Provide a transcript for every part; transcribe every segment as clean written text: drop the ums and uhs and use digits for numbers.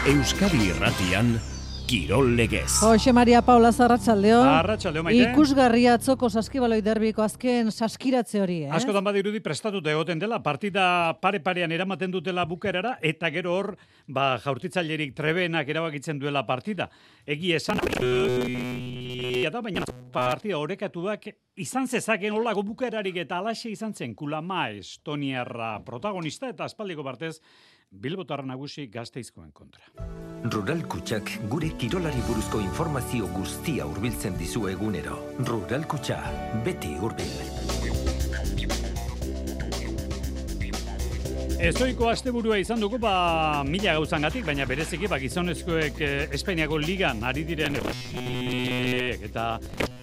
Euskadi Irratian, Kirol Legez. Jose Maria Paula Arratsaldeon. Arratsaldeon, Maite. Ikusgarria atzoko saskibaloi derbiko azken saskiratze hori, Askotan badirudi prestatute egoten dela, partida pare-parean eramaten dutela bukerara, eta gero hor, jaurtitzailerik trebenak erabakitzen duela partida. Egi esan, baina partida orekatuak izan zezaken olako bukerarik eta alaxe izan zen Kulama Estoniarra protagonista eta aspaldiko partez Bilbotarra nagusi Gasteizkoen kontra. Rural Kutxak gure kirolari buruzko informazio guztia hurbiltzen dizu egunero. Rural Kutxa, beti hurbil. Ezoiko asteburua izan dugu, mila gauzangatik, baina bereziki gizonezkoek Espainiako ligan ari diren eta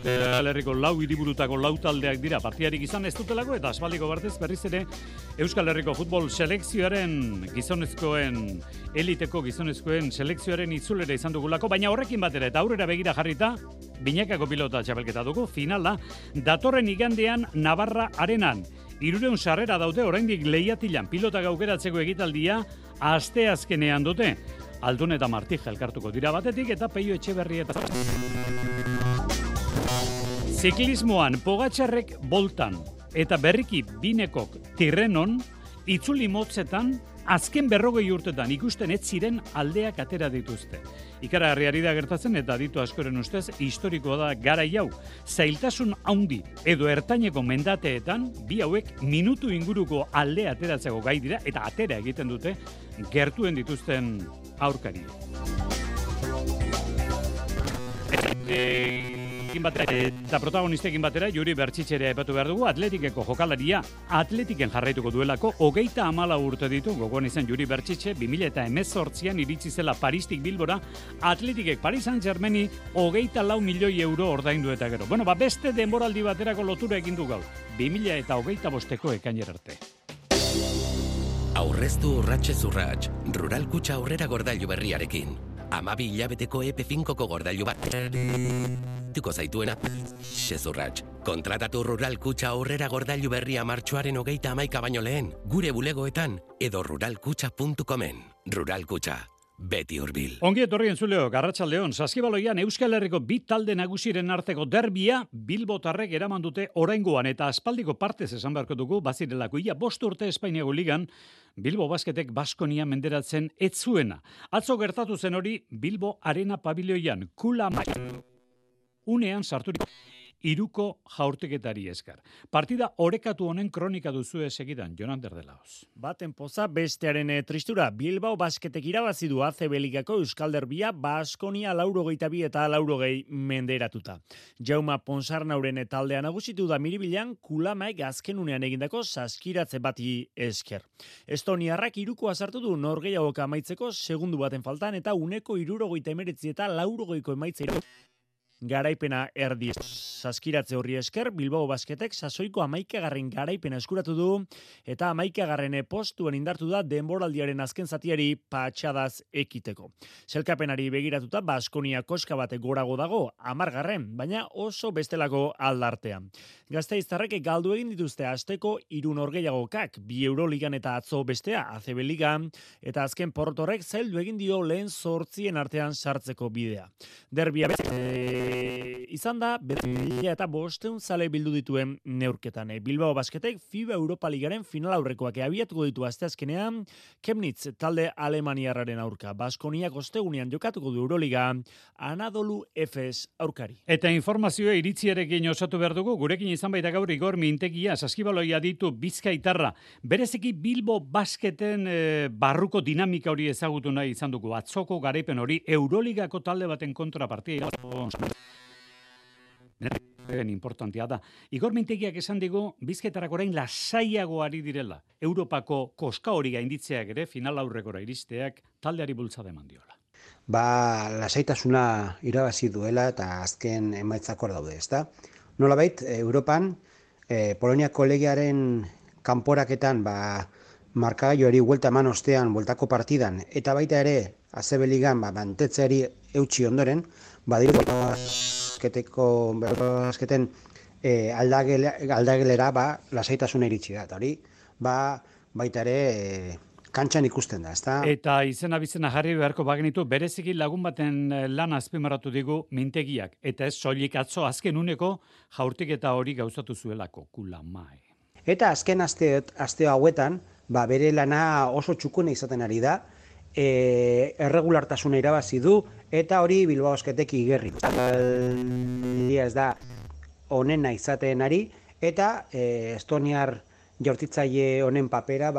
Euskal Herriko lau hiriburutako lau taldeak dira partidarik izan ez dutelako eta aspaldiko partez berriz ere Euskal Herriko futbol selekzioaren eliteko gizonezkoen selekzioaren itzulera izan dugulako, baina horrekin batera eta aurrera begira jarrita binakako pilota txapelketa dugu, finala datorren igandean Navarra Arenan. 300 sarrera daude oraindik lehiatilan pilota gaukeratzeko egitaldia asteazkenean dute. Aldun eta Martija elkartuko dira batetik eta Peio Etxeberri eta Ziklismoan Pogačarrek boltan eta berriki Binekok Tirrenon itzuli motzetan azken 40 urtetan ikusten ez ziren aldeak atera dituzte. Ikaragarriari da gertatzen eta aditu askoren ustez historikoa da garai hau. Zailtasun handi edo ertaineko mendateetan bi hauek minutu inguruko aldea ateratzeko gai dira eta atera egiten dute gertuen dituzten aurkari. Eta protagonistekin batera Juri Bertxitxerea epatu behar dugu, Atletikeko jokalaria Atletiken jarraituko duelako 34 urte ditu, gogoan izan Juri Bertxitxe 2018an iritsi zela Paristik Bilbora, Atletikek Paris Saint-Germaini 24 milioi euro ordaindu eta gero. Beste denboraldi baterako lotura egin du gaur, 2025ko ekainera arte. Aurreztu urratxez urratx, Rural Kutxa aurrera gordailu berriarekin. 12 hilabeteko EP5ko gordailu bat tuko zaituena xezurratx. Kontratatu Rural Kutxa aurrera gordailu berria martxoaren 31 baino lehen, gure bulegoetan edo ruralkutxa.comen. Rural Kutxa, beti hurbil. Ongi etorri entzuleok, arratsaldeon, saskibaloian Euskal Herriko bi talde nagusiren arteko derbia Bilbotarrek eraman dute oraingoan eta aspaldiko partez esan beharko dugu bazirelako. Ia 5 urte Espainiako ligan Bilbo Basketek Baskonia menderatzen ez zuena. Atzo gertatu zen hori Bilbo Arena pabiloian Kulama unean sarturik iruko jaurtiketari esker. Partida orekatu honen kronika duzue segidan, Jonander de Laos. Baten poza bestearen tristura, Bilbao Basketek irabazi du ACB Ligako Euskal Derbia Baskonia 82 eta 80 menderatuta. Jauma Ponsarnauren taldea nagusitu da Miribilan Kulamaek azken unean egindako saskiratze bati esker. Estoniarrak irukoa sartu du norgehiagoka amaitzeko segundu baten faltan eta uneko 69 eta 80ko emaitzeira garaipena erdi. Saskiratze horri esker, Bilbao Basketek sasoiko 11. garaipena eskuratu du eta 11. postuen indartu da denboraldiaren azken zatiari patxadaz ekiteko. Selkapenari begiratuta Baskonia koska bate gorago dago, 10. baina oso bestelako aldartean. Gasteiztarrek galdu egin dituzte asteko 3 norgehiagokak, 2 Euroligan eta atzo bestea ACB Ligan, eta azken porrotorrek zaildu egin dio lehen 8 artean sartzeko bidea. Derbia izan da, eta 500 zale bildu dituen neurketan. Bilbao Basketek FIBA Europa Ligaren final aurrekoak abiatuko ditu asteazkenean, Chemnitz talde alemaniarraren aurka. Baskoniak ostegunean jokatuko du Euroliga, Anadolu Efes aurkari. Eta informazioa iritziarekin osatu behar dugu, gurekin izan baita gaur Igor Mintegia, saskibaloia ditu Bizkaitarra. Bereziki Bilbo Basketen barruko dinamika hori ezagutu nahi izan dugu. Atzoko garaipen hori Euroligako talde baten kontra partida. Importantea da. Igor Mintegiak esan digu Bizkaitarrak orain lasaiago ari direla. Europako koska hori gainditzeak ere final aurrekora iristeak taldeari bultzada eman diola. Lasaitasuna irabazi duela eta azken emaitzak hor daude, ezta? Nolabait, Europan Poloniako legearen kanporaketan markagailuari buelta eman ostean bueltako partidan eta baita ere ACB Ligan mantetzeari eutsi ondoren, Basketen aldagelera lasaitasuna iritsi da. Eta hori baita ere kantxan ikusten da, ezta? Eta izena bizena jarri beharko bagenitu, bereziki lagun baten lan azpimarratu digu mintegiak. Eta ez soilik atzo azken uneko jaurtiketa hori gauzatu zuelako, kulamai. Eta azken aste hauetan, bere lana oso txukuna izaten ari da, erregulartasuna irabazi du, eta hori Bilbao Basketek igerri. Ez da onena izaten ari, eta estoniar jaurtitzaile honen papera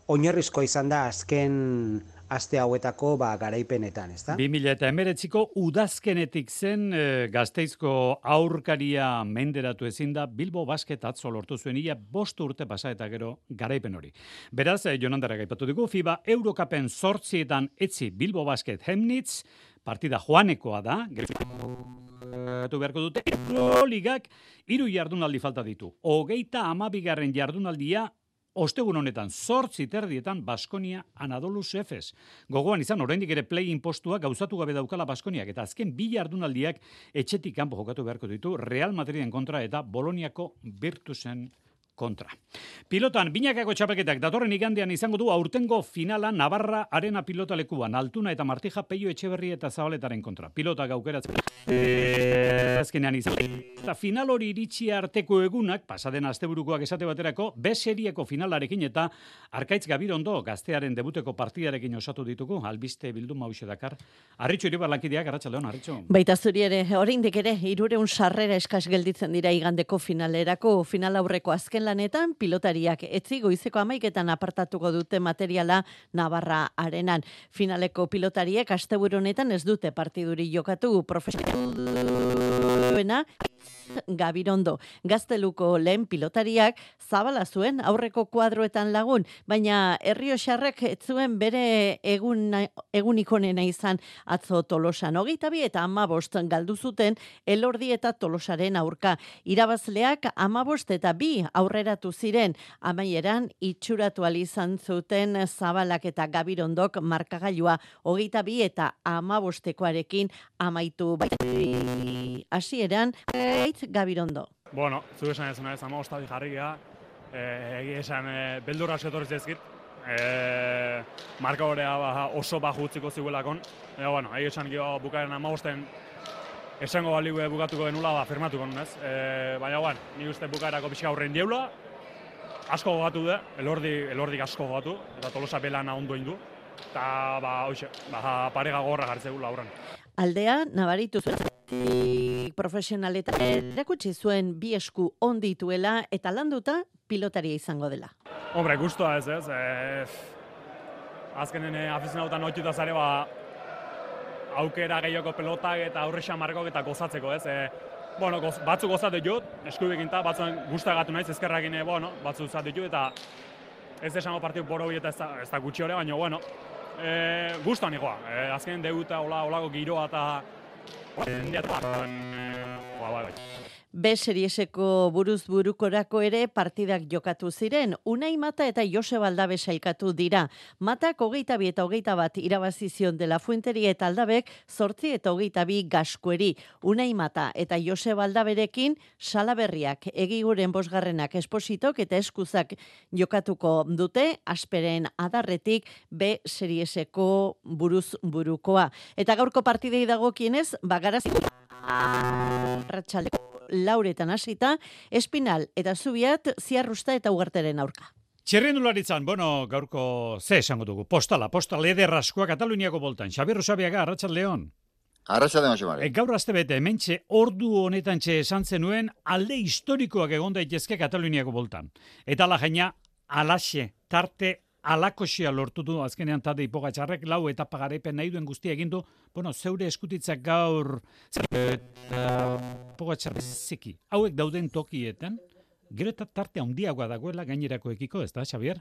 oinarrizko izan da azken aste hauetako garaipenetan, ezta? 2019ko udazkenetik zen Gasteizko aurkaria menderatu ezin da Bilbo Basket atzo lortu zuen ia 5 urte pasa eta gero garaipen hori. Beraz, Jonandarrak aipatu dugu, FIBA Eurocupen 8etan etzi Bilbo Basket Chemnitz, partida joanekoa da, beharko dute, Euroligak 3 jardunaldi falta ditu. 32. jardunaldia ostegun honetan 8:30 Baskonia Anadolus Efes. Gogoan izan oraindik ere play-in postua gauzatu gabe daukala Baskoniak eta azken 2 jardunaldiak etxetik kanpo jokatu beharko ditu Real Madriden kontra eta Boloniako Virtusen kontra. Pilotan, binakako txapelketak datorren igandean izango du aurtengo finala Navarra Arena pilotalekuan, Altuna eta Martija, Peio Etxeberri eta Zabaletaren kontra. Pilota gaukeratzen. Azkenean izan. Eta final hori iritsi arteko egunak, pasaden asteburukoak esate baterako, B serieko finalarekin eta Arkaitz Gabirondo gaztearen debuteko partidarekin osatu ditugu, albiste bilduma hauxe dakar. Arritxo Iribar lankideak, arratsaldeon, Arritxo. Baita zuri ere, oraindik ere 300 sarrera eskas gelditzen dira igandeko finalerako, final aurreko azken lanetan pilotariak etzi goizeko 11etan apartatuko dute materiala Navarra Arenan. Finaleko pilotariek asteburu honetan ez dute partiduri jokatu profesionalena Gabirondo. Gazteluko lehen pilotariak Zabala zuen aurreko kuadroetan lagun, baina Errioxarrek ez zuen bere egunik onena izan atzo Tolosan. 22 eta 15 galdu zuten Elordi eta Tolosaren aurka. Irabazleak 15 eta 2 aurreratu ziren, amaieran itxuratu izan zuten Zabalak eta Gabirondok markagailua 22 eta 15koarekin amaitu hasieran Gabirondo. Bueno, zu esan ez naiz 15 jarri gea. Egia esan beldurra askotorri zaizkit. Marka horea oso baju utziko ziguelakon. Bueno, egia esan bukaeren 15 esango baligu bukatuko genula firmatuko nunez. Baina bueno, ni uste bukaerako pixka aurrein dieula. Asko gogatu da, elordik asko gogatu, eta Tolosa belana ondo indu. Eta parega gorra jartzegu lauran. Aldea, nabaritu zuen profesionaletan erakutsi zuen 2 esku ondituela eta landuta pilotaria izango dela. Hombre, gustua ez. Azkenen afizionautan ohituta zare aukera gehiago pelotak eta aurrexa markok eta gozatzeko, ez? Bueno, batzuk gozatu ditut, eskubekin eta batzuen gustagatu naiz, ezkerrakin, batzuk zatu ditut, eta ez esango partidu boro eta ez da gutxi hori, baina, bueno, gustuan ikoa. Azkenen debuta olako giroa eta B serieseko buruz-burukorako ere partidak jokatu ziren. Unai Mata eta Joseba Aldabe sailkatu dira. Matak 22 eta 21 irabazi zion De La Fuenteria eta Aldabek 8 eta 22 Gaskueri. Unai Mata eta Joseba Aldaberekin Salaberriak, Egiguren 5. Espositok eta Eskuzak jokatuko dute Asperen Adarretik B serieseko buruz-burukoa. Eta gaurko partidei dagokienez, Garazi Arratsaldeko 4:00 hasita, Espinal eta Zubiat, Ziarrusta eta Ugarteren aurka. Txirrindularitzan, gaurko ze esango dugu, postala ederraskoa Kataluniako boltan. Xabier Usabiaga, Arratsaldeon. Arratsaldeon, Xamari. Gaur astebete, hementxe ordu honetan esan zenuen alde historikoak egon daitezke Kataluniako boltan. Eta ala jaina, alaxe, tarte alakoxia lortu du azkenean Tadej Pogačarrek 4 etapa garaipen nahi duen guztia egin du. Zeure eskutitzak gaur Pogačar zeki. Hauek dauden tokietan, gero eta tarte handiagoa dagoela gainerakoekiko, ez da, Xabier?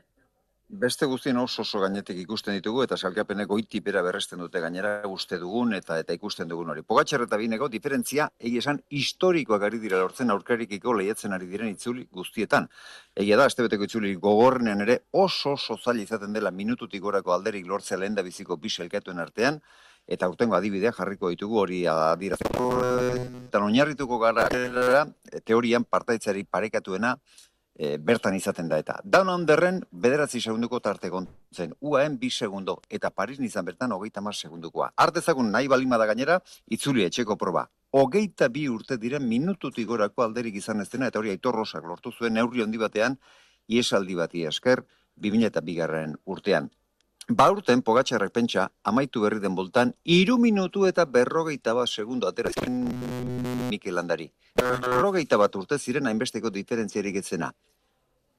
Beste guztien oso gainetik ikusten ditugu eta salkapeneko itipera berresten dute gainera uste dugun eta ikusten dugun hori. Pogačar eta bineko diferentzia egia esan historikoak ari dira lortzen aurkarikiko lehiatzen ari diren itzuli guztietan. Egia da, astebeteko itzuli gogorrenean ere oso zaila izaten dela minututik gorako alderik lortzea lehen da biziko bi sailkatuen artean, eta urtengo adibidea jarriko ditugu hori adierazten. Eta oinarrituko gara teorian partaitzari parekatuena bertan izaten da eta. Down Underren 9 segunduko tarte gontzen, UAEn 2 segundo, eta Paris izan bertan 30 segundukoa. Artezagun nahi balimada gainera, itzuli etxeko proba. 22 urte diren minututik gorako alderik izan ez dena, eta hori Aitor Rosak lortu zuen neurri handi batean, iesaldi bati esker, 2002 urtean. Ba urten Pogačarrek pentsa, amaitu berri den boltan, 3 minutu eta 41 segundo atera zen Mikel Landari. 41 urte ziren hainbesteko diferentziarik etzena.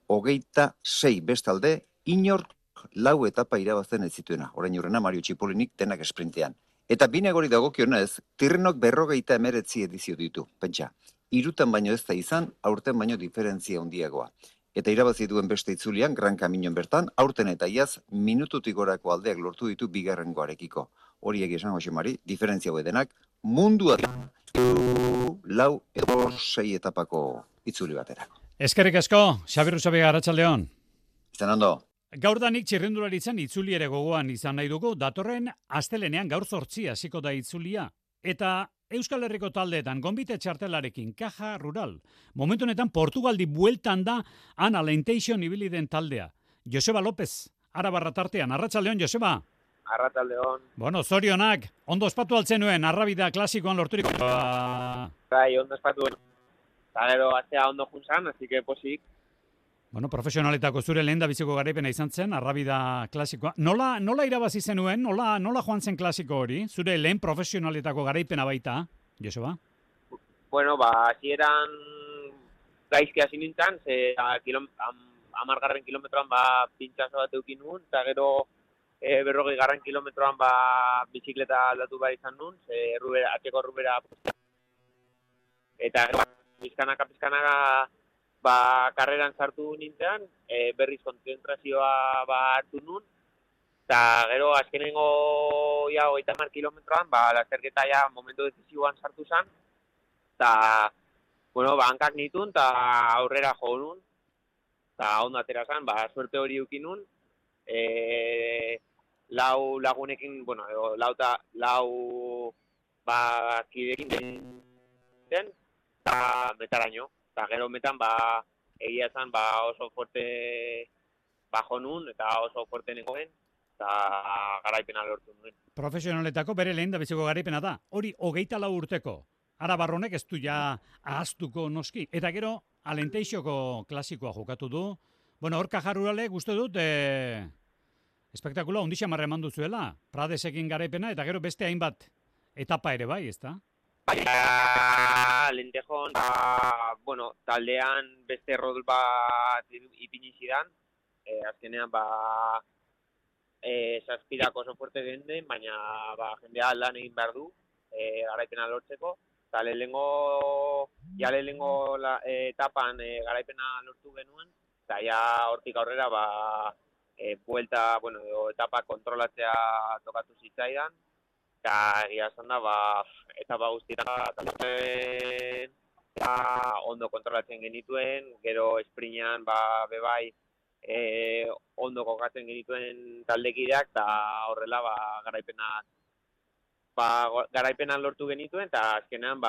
26 bestalde, inork 4 etapa irabazten ez zituena. Orain urrena Mario Txipolinik denak esprintean. Eta binegori dagokionez, Tirrenok 59 edizio ditu, pentsa. 3 baino ez da izan, aurten baino diferentzia handiagoa. Eta irabazi duen beste itzulian, Gran Caminoen bertan, aurten eta iaz, minututik gorako aldeak lortu ditu bigarrengoarekiko. Hori esan Jose Mari, diferentzia denak, mundua 4 edo 6 etapako itzuli baterako. Eskerrik asko, Xabi Rusabiaga, arratsaldeon. Izan ondo. Gaurdanik txirrendularitzan itzuli ere gogoan izan nahi dugu, datorren astelenean gaur 8 hasiko da itzulia. Eta Euskal Herriko taldeetan gonbite txartelarekin Caja Rural. Momentu honetan Portugaldi bueltan da Ana Alentation ibili den taldea. Joseba López, Arabarra tartean. Arratsaldeon, Joseba. Arratsaldeon. Bueno, zorionak, ondo ospatu altzen nuen, Arrabida klasikoan lorturiko. Bai, ondo ospatu. Eta gero, atzea ondo juntzan, así que posik. Bueno, profesionaletako zure lehen da biziko garaipena izan zen, Arrabida klasikoa. Nola irabazi zenuen? Nola joan zen klasiko hori? Zure lehen profesionaletako garaipena baita, Joseba? Bueno, hasieran gaizki hasi nintzen, 10. kilometroan pintxazo bat eukin nun, eta gero 40. kilometroan bizikleta aldatu behar izan nun, atxeko rubera. Eta gero, pizkanaka karreran sartu nintzen, berriz kontzentrazioa hartu nun, eta gero azkenengo 30 kilometroan, lasterketa momentu decisiboan sartu zen, eta, hankak nitun, eta aurrera jo nun, eta ondo atera zen, suerte hori eukin nun, lau lagunekin, lau kidekin den, eta metaraino. Eta gero metan, egia zen, oso fuerte bajo nun, eta oso fuerte nengoen, eta garaipena lortu nuen. Profesionaletako bere lehen da biziko garaipena da. Hori 24 urteko. Arabarronek ez du ja ahaztuko noski. Eta gero, Alenteixoko klasikoa jokatu du. Bueno, hor Caja Ruralek uste dut, espektakula ondixia marra eman duzuela. Pradesekin garaipena, eta gero beste hainbat etapa ere bai, ez da? Lentejon, taldean beste rol bat ipini zidan, azkenean zazpirak oso fuerte genden, baina jendea lan egin behar du, garaipena lortzeko, eta lehenengo etapan garaipena lortu genuen, eta ja hortik aurrera etapa kontrolatzea tokatu zitzaidan, eta egia esan da, etapa guztietan ondo kontrolatzen genituen, gero esprinean bebai ondo kokatzen genituen taldekideak, eta horrela garaipenan lortu genituen, eta azkenean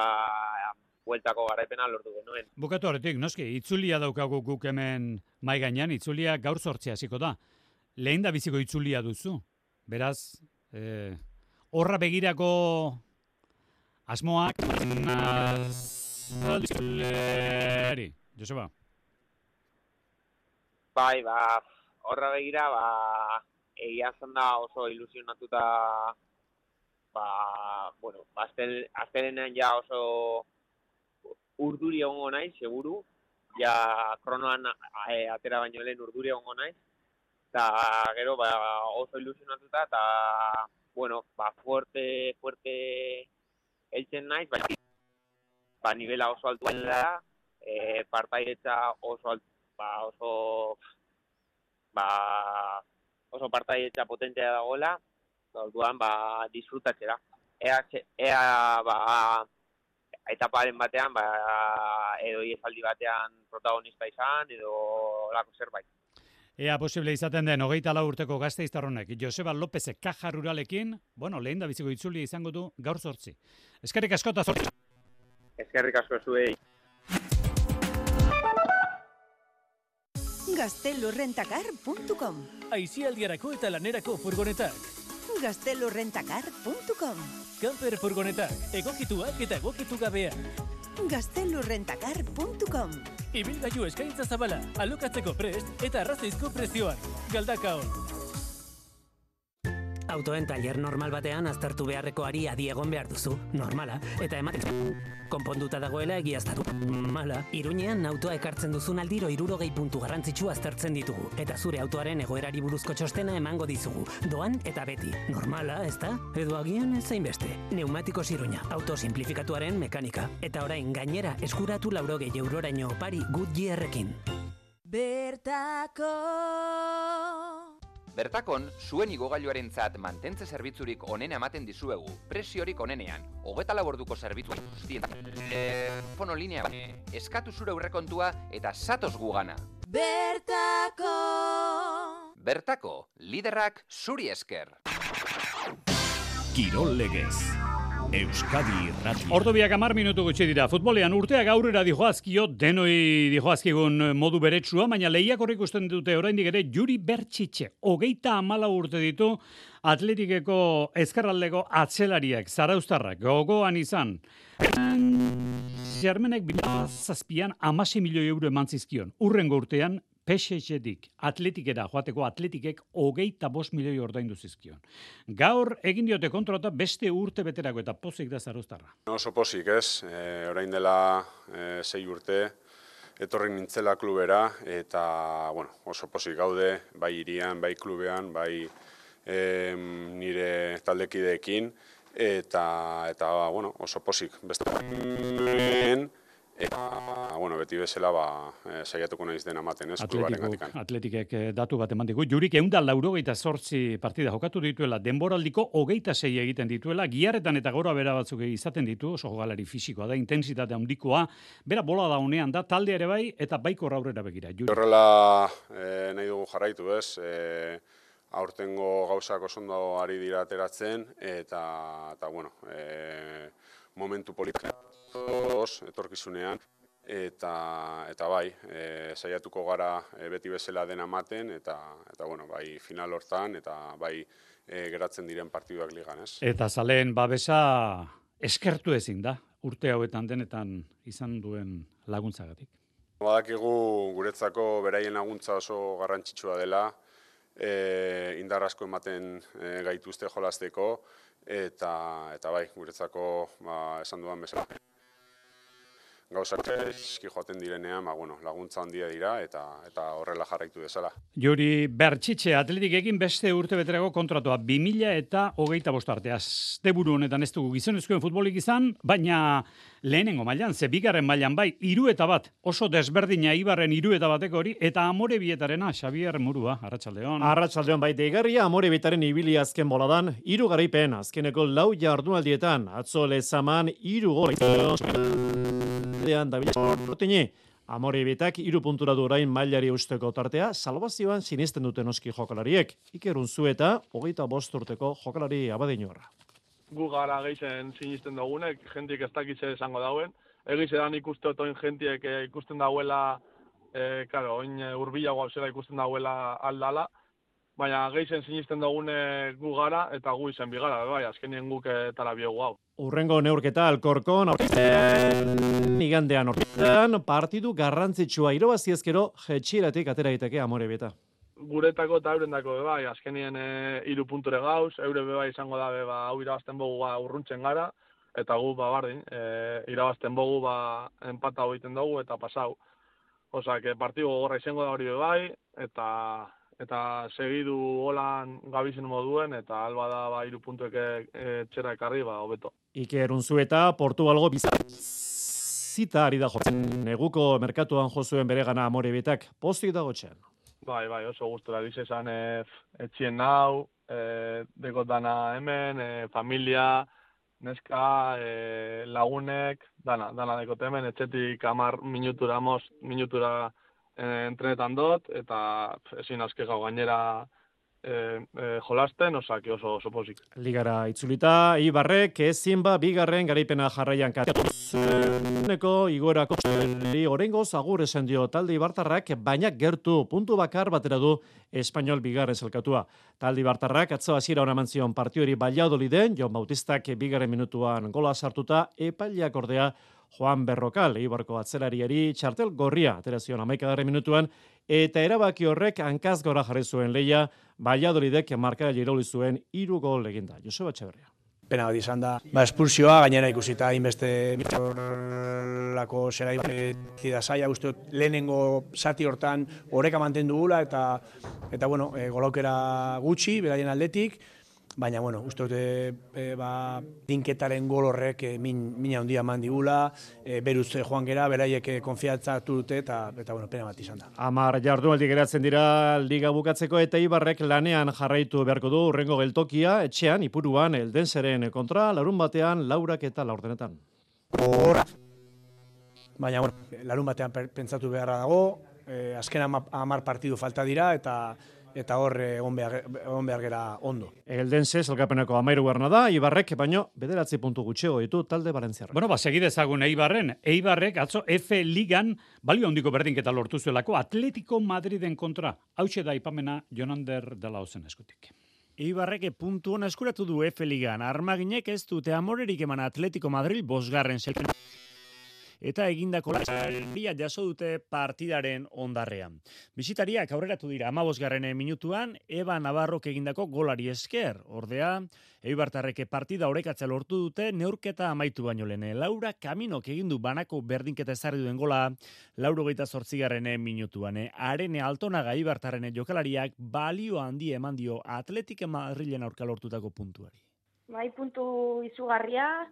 bueltako garaipenan lortu genuen. Bukatu horretik, noski, itzulia daukagu guk hemen mai gainean, itzulia gaur 8 hasiko da. Lehen da biziko itzulia duzu. Beraz, horra begirako asmoak Joseba. Bai, horra begira, egia zen da oso ilusionatuta, aztelenean ja oso urduri egongo naiz, seguru, ja kronoan atera baino lehen urduri egongo naiz, eta gero oso ilusionatuta, eta fuerte eltzen naiz, nivela oso altua da, partaietza oso partaietza potentea dagoela, orduan disfrutatzera. Etaparen batean, edo iesaldi batean protagonista izan, edo lako zerbait. Ea posible izaten den 24 urteko gasteiztarronek Joseba Lópezek Caja Ruralekin, lehen da biziko itzulia izango du gaur 8. Eskerrik asko eta 8. Eskerrik asko zuei. Gaztelurrentacar.com. Aizialdiarako eta lanerako furgonetak. Gaztelurrentacar.com. Camper furgonetak, egokituak eta egokitu gabeak. Gaztelurrentacar.com. Ibilgailu eskaintza zabala, alokatzeko prest eta arrazoizko prezioan. Galdakaon. Autoen taller normal batean aztertu beharrekoari adi egon behar duzu, normala, eta ematen konponduta dagoela egiaztatu. Mala, Iruñean autoa ekartzen duzun aldiro 60 puntu garrantzitsu aztertzen ditugu, eta zure autoaren egoerari buruzko txostena emango dizugu, doan eta beti. Normala, ezta? Edo agian ezain beste. Neumatikos Iruña, auto simplifikatuaren mekanika, eta orain gainera eskuratu 80 euroraino opari Goodyearrekin. Bertako. Bertakon, zuen igogailuarentzat mantentze zerbitzurik onena ematen dizuegu, presiorik onenean, 24 orduko zerbitzu guztien. Telefono linea, eskatu zure aurrekontua eta zatoz gugana. Bertako. Bertako, liderrak zuri esker. Kirol Legez. Euskadi Irratia. Ordu biak 10 minutu gutxi dira. Futbolean urteak aurrera dijoazkio, denoi dijoazkigun modu beretsua, baina lehiakor ikusten dute oraindik ere Juri Bertxitxe. 34 urte ditu Atletikeko ezkerraldeko atzelariak, zarauztarrak, gogoan izan. Zermenek 2007an 16 milioi euro eman zizkion. Urrengo urtean, PSG-dik, Atletikera joateko Atletikek 25 milioi ordaindu zizkion. Gaur egin diote kontrata beste urte beterako eta pozik da zarauztarra. Oso pozik ez, orain dela 6 urte, etorri nintzela klubera eta oso pozik gaude, bai hirian, bai klubean, bai nire taldekideekin eta oso pozik. Eta, beti bezala saiatuko naiz dena ematen, ez, klubaren gatikan. Atletikek datu bat eman digu. Jurik 188 partida jokatu dituela, denboraldiko 26 egiten dituela, giharretan eta gora bera batzuk izaten ditu, oso jokalari fisikoa da, intensitate handikoa, bera bola da honean da, talde ere bai, eta baikor aurrera begira. Horrela nahi dugu jarraitu, ez, aurtengo gauzak oso ondo ari dira ateratzen, eta momentu politika. Etorkizunean eta bai, saiatuko gara beti bezala dena ematen eta bai final hortan eta bai geratzen diren partiduak ligan, ez? Eta zaleen babesa eskertu ezin da, urte hauetan denetan izan duen laguntzagatik. Badakigu guretzako beraien laguntza oso garrantzitsua dela, indar asko ematen gaituzte jolasteko eta bai, guretzako esan dudan bezala. Gauzak eski joaten direnean, laguntza handia dira eta horrela jarraitu dezala. Juri Bertxitxe Atletikekin beste urte beterako kontratua 2025 arte. Asteburu honetan ez dugu gizonezkoen futbolik izan, baina lehenengo mailan, bigarren mailan bai, 3-1 oso desberdina Ibarren 3-1 hori, eta Amorebietarena Xabier Murua, arratsaldeon. Arratsaldeon bai, deigarria Amorebietaren ibili azken boladan, 3 garaipen azkeneko 4 jardunaldietan, atzo Lezaman 3 gol. Amorebietak 3 puntura du orain mailari eusteko tartea, salbazioan sinisten duten noski jokalariek. Iker Unzueta 25 urteko jokalari abadiñorra. Gu gara geixen sinisten dugunek, jentik ez dakitze esango dauen. Egiz edan ikuste otoin jentiek ikusten dauela, oin urbilago zela ikusten dauela aldala, baina geixen sinisten dugune gu gara eta gu izen bigara, bai, azkenien guk tala biogu hau. Urrengo neurketa Alkorkon, igandean horretan, partidu garrantzitsua irabazi ezkero jetxieratik atera daiteke Amorebieta. Guretako eta eurendako bai, azkenien 3 punture gauz, eure bai izango da hau irabazten bogu urruntzen gara, eta gu bardin, irabazten bogu empata egiten dugu eta pasau. Osa, partidu gogorra izango da hori bai, eta segidu holan gabizen moduen, eta alba da 3 puntuek txera ekarri, hobeto. Iker Unzueta, Portugalgo bizita ari da jotzen. Neguko merkatuan jozuen bere gana Amorebietak, pozik dago txean. Bai, oso gustora dize esan etxien nau, dekot dana hemen, familia, neska, lagunek, dana dekot hemen, etxetik 10 minutura entrenetan dot, eta ezin aske gau gainera jolasten, osake oso pozik. Ligara itzulita, Eibarrek ezin bigarren garaipena jarraian kateko igorako orengoz agur esan dio talde ibartarrak, baina gertu puntu bakar batera du Espainol bigarren zelkatua. Talde ibartarrak atzo hasiera ona eman zion partiori Valladoliden, Jon Bautistak bigarren minutuan gola sartuta, epaileak ordea Juan Berrokal, Eibarko atzelariari txartel gorria atera zion 11. minutuan, eta erabaki horrek hankaz gora jarri zuen leia, Valladolidek markaile irauli zuen 3 gol eginda. Joseba Etxeberria. Pena bat izan da. Espulsioa gainera ikusita inbeste lako zera da zaila, uste lehenengo zati hortan oreka mantendu gula eta bueno, golaukera gutxi, beraien aldetik, baina, bueno, uste dute dinketaren gol horrek mina handia eman digula, beruz joan gera, beraiek konfiantzatu dute, eta bueno, pena bat izan da. 10 jardunaldi geratzen dira liga bukatzeko, eta Eibarrek lanean jarraitu beharko du urrengo geltokia, etxean, Ipuruan, Eldenseren kontra, larun batean, 4 eta 4. Baina, bueno, larun batean pentsatu beharra dago, azken 10 partidu falta dira, eta hor egon behar gera ondo. Eldense zelkapeneko 13. da, Eibarrek baino 9 puntu gutxiago ditu talde Valentziarrak. Bueno, segi dezagun Eibarren. Eibarrek atzo F Ligan balio handiko berdinketa lortu zuelako Atletico Madriden kontra. Hauxe da aipamena Jonander dela Ozen eskutik. Eibarrek puntu hona eskuratu du F Ligan. Armaginek ez dute amorerik eman Atletico Madrid 5. zelkapen. Eta egindako laria jaso dute partidaren ondarrean. Bisitariak aurreratu dira 15. minutuan, Eba Navarrok egindako golari esker. Ordea, Eibartarrek partida orekatzea lortu dute, neurketa amaitu baino lehen. Laura Kaminok egindu banako berdinketa ezarri duen gola, 88. minutuan. Arene Altonaga Eibartarren jokalariak balio handi eman dio Athletic Madrilen aurka lortutako puntuari. Bai, puntu izugarria,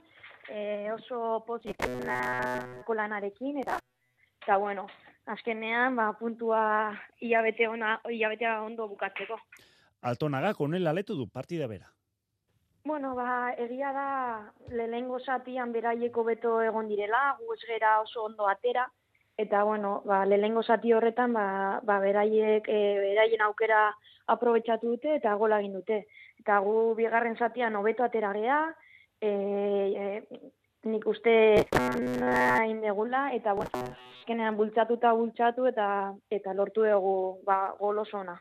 oso pozitibo lanarekin eta bueno, azkenean puntua hilabetea ondo bukatzeko. Altonaga konela letu du partida bera. Bueno, egia da lehenengo zatian beraieko beto egon direla, gu ez gera oso ondo atera, eta bueno, lehenengo zati horretan beraien aukera aprobetxatu dute eta gola egin dute. Eta gu bigarren zatian hobeto atera gea, nik uste hain degula, eta bueno, azkenean bultzatu eta lortu dugu gol oso ona.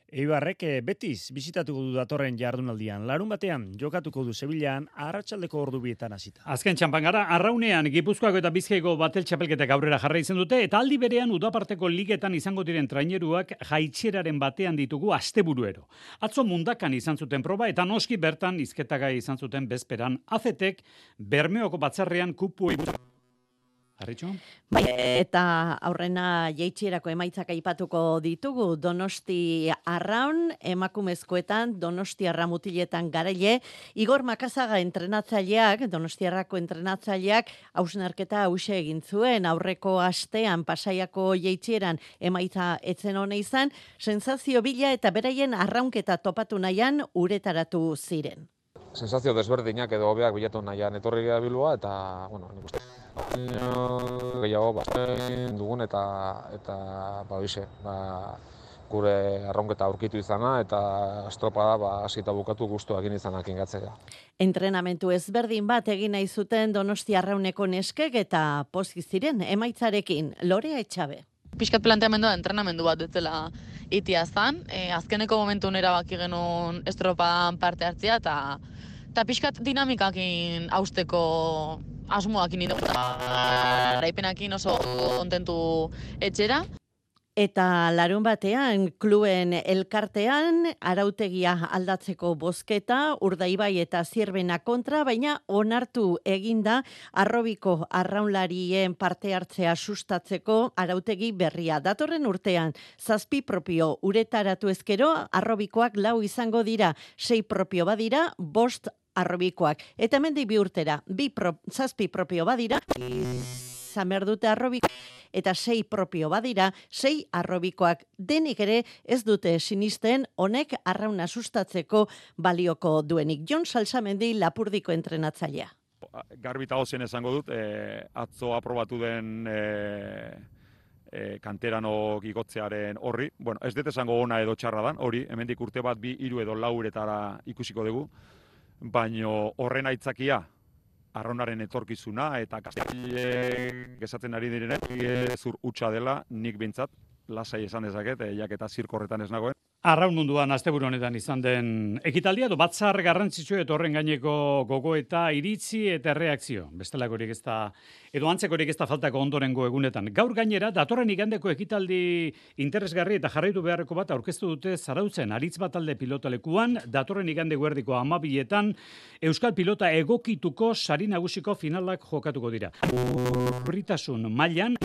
Eibarrek Betis bisitatuko du datorren jardunaldian. Larun batean jokatuko du Sevillaan arratsaldeko ordu 2 hasita. Azken txanpan gara, Arraunean Gipuzkoako eta Bizkaiko batel txapelketak aurrera jarraitzen dute, eta aldi berean udaparteko ligetan izango diren traineruak jaitsieraren batean ditugu asteburuero. Atzo Mundakan izan zuten proba, eta noski bertan hizketagai izan zuten bezperan AZek Bermeoko batzarrean kupu Arritxo? Bai, eta aurrena jaitsierako emaitzak aipatuko ditugu. Donosti Arraun, emakumezkoetan, Donosti Arramutiletan garaile, Igor Makazaga entrenatzaileak, Donostiarrako entrenatzaileak, hausnarketa hause egin zuen, aurreko astean Pasaiako jaitsieran emaitza etzen hona izan, sensazio bila eta beraien arraunketa topatu nahian uretaratu ziren. Sensazio desberdinak edo hobeak bilatu nahian etorri gara Bilboa, eta, bueno, nik uste. Gehiago, dugun eta gure arraunketa aurkitu izana, eta estropada hasita bukatu guztua egin izanak ingatzea. Entrenamentu ezberdin bat egin nahi zuten Donosti Arrauneko neskek eta pozik ziren emaitzarekin. Lorea Etxabe. Piskat planteamendua entrenamendu bat dutela itia zan. Azkeneko momentu erabaki genuen estropadan parte hartzea, eta piskat dinamikakin hausteko asmoakin idu. Raipenakin oso kontentu etxera. Eta larun batean, kluen elkartean, arautegia aldatzeko bozketa, Urdaibai eta Zierbena kontra, baina onartu eginda Arrobiko arraunlarien parte hartzea sustatzeko arautegi berria. Datorren urtean, 7 propio uretaratu ezkero, Arrobikoak 4 izango dira, 6 propio badira, 5 Arrobikoak. Eta hemendik 2 urtera, 7 propio badira, izan behar dute Arrobiko, eta 6 propio badira, 6 arrobikoak. Denik ere ez dute sinisten honek arrauna sustatzeko balioko duenik. Jon Salsamendi Lapurdiko kanteranok igotzearen horri. Bueno, ez dut esango ona edo txarra dan, hori, hemendik urte bat, 2, 3 edo 4 uretara ikusiko dugu, baino horren aitzakia, arraunaren etorkizuna eta Kastilen gesatzen ari direnek zur hutsa dela, nik bintzat, lasai esan dezaket, jaketa zirko horretan ez nagoen. Arraun munduan asteburu honetan izan den ekitaldia, batzar garrantzitsu eta horren gaineko gogoeta iritzi eta reakzio. Bestelakorik ez da, edo antzekorik ez da faltako ondorengo egunetan. Gaur gainera, datorren igandeko ekitaldi interesgarri eta jarraitu beharreko bat aurkeztu dute Zarautzen aritz batalde pilotalekuan, datorren igande guerdiko 12etan Euskal Pilota egokituko sari nagusiko finalak jokatuko dira. Urritasun mailan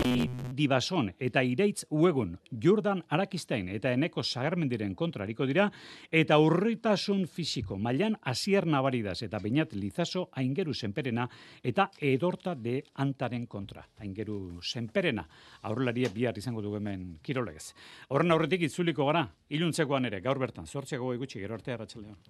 Dibason eta Iraitz Uegun, Jordan Arakistain eta Eneko Sagarmendiren kontrariko dira, eta urritasun fisiko mailan Asier Navaridas eta Beñat Lizaso Aingeru Senperena eta Edorta de Antaren kontra. Aingeru Senperena, aurrelaria bihar izango dugu hemen kirolegez. Horren aurretik itzuliko gara, iluntzekoan ere, gaur bertan, 8 gutxi, gero arte arratsaldean.